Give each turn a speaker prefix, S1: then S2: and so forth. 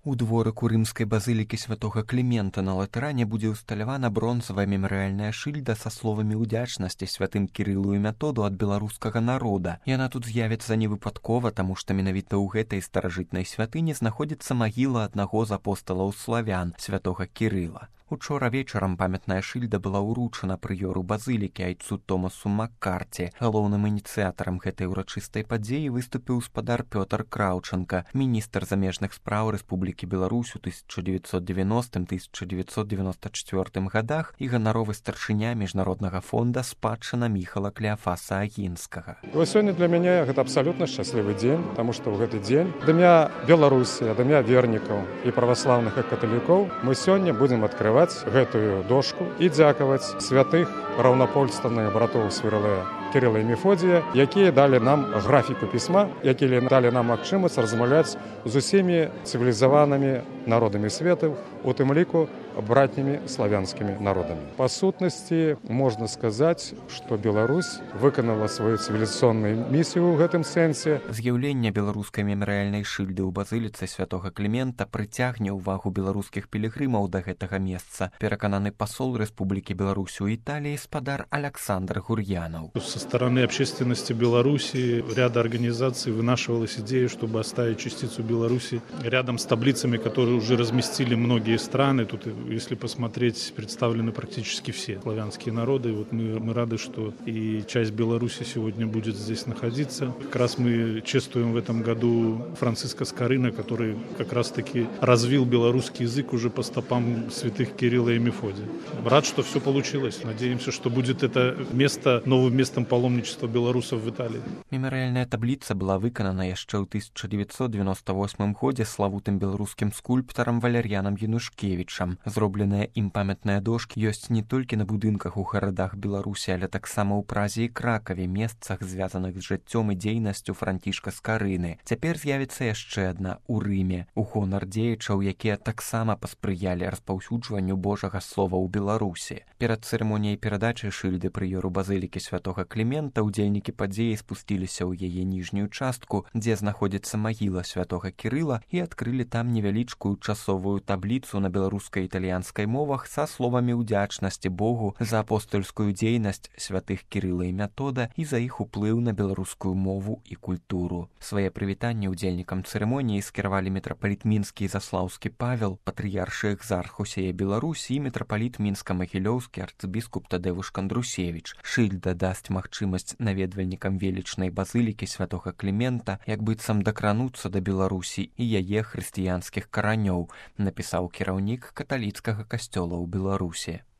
S1: У дворыку рымскай базылікі святога Клімента на Латэране будзе ўсталявана бронзавая мемарыяльная шыльда са словамі ўдзячнасці святым Кірылу і Методу ад беларускага народа. Яна тут з'явіцца не выпадкова, таму што менавіта ў гэтай старажытнай святыні знаходзіцца магіла аднаго з апосталаў славян, святога Кірыла. Учора вечарам памятная шыльда была ўручана прыёру базылікі айцу Томасу Маккарці. Галоўным ініцыятарам гэтай урачыстай падзеі выступіў спадар Пётр Краўчанка, міністр замежных спраў Рэспублікі Беларусь у 1990-1994 годах і ганаровы старшыня міжнароднага фонда спадчына Міхала Клеафаса Агінскага.
S2: Сёння для мяне гэта абсалютна шчаслівы дзень, таму што ў гэты дзень да імя Беларусі, да імя вернікаў і праваслаўных і каталікоў мы сёння будзем адкрываць гэтую дошку і дзякаваць святых раўнапольстанных братоў Свірлея Кірыла і Мефодія, якія далі нам графіку пісьма, якія далі нам магчымасць размаўляць з усімі цывілізаванымі народамі свету, у тым ліку братнімі славянскімі народамі. Па сутнасці можна сказаць, што Беларусь выканала сваю цывілізацыйную місію ў гэтым сэнсе.
S1: З'яўленне беларускай мемарыяльнай шыльды ў базыліцы святога Клімента прыцягне ўвагу беларускіх пілігрымаў да гэтага месца, перакананы пасол Рэспублікі Беларусь у Італіі спадар Александр Гурьянов.
S3: Со стороны общественности Беларуси ряда организаций вынашивалась идея, чтобы оставить частицу Беларуси рядом с таблицами, которые уже разместили многие страны. Тут, если посмотреть, представлены практически все славянские народы. Вот мы рады, что и часть Беларуси сегодня будет здесь находиться. Как раз мы чествуем в этом году Франциска Скорына, который как раз-таки развил белорусский язык уже по стопам святых Кирилла и Мефодия. Рад, что все получилось. Надеемся, что будет это место новым местом паломничества белорусов в Италии.
S1: Мемарыяльная табліца была выканана яшчэ ў 1998 годзе славутым беларускім скульптарам Валер'янам Янушкевічам. Зробленыя ім памятныя дошкі ёсць не толькі на будынках у гарадах Беларусі, але таксама ў Празе і Кракаве, месцах, звязаных з жыццём і дзейнасцю Францішка Скарыны. Цяпер з'явіцца яшчэ адна ў Рыме, у гонар дзеячаў, якія таксама паспрыялі распаўсюджванню Божага слова ў Беларусі. Перад цырымоніяй перадачы шыльды прыёру базылікі святога Клімента удзельнікі падзеі спусціліся ў яе ніжнюю частку, дзе знаходзіцца магіла святога Кірыла, і адкрылі там невялічкую часовую табліцу на беларускай і італьянскай мовах са словамі ўдзячнасці Богу за апостольскую дзейнасць святых Кірыла і Метода і за іх уплыў на беларускую мову і культуру. Свае прывітанні удзельнікам цырымоніі скіравалі мітрапаліт мінскі і заслаўскі Павел, патрыяршы экзарх усяе Беларусі і мітрапаліт мінска-магілёўскі арцыбіскуп Тадеуш Кандрусевіч. Шыльда дасць магчымасць наведвальнікам велічнай базылікі святога Клімента як быццам дакрануцца да Беларусі і яе хрысціянскіх каранёў, напісаў кіраўнік каталіцкага касцёла ў Беларусі.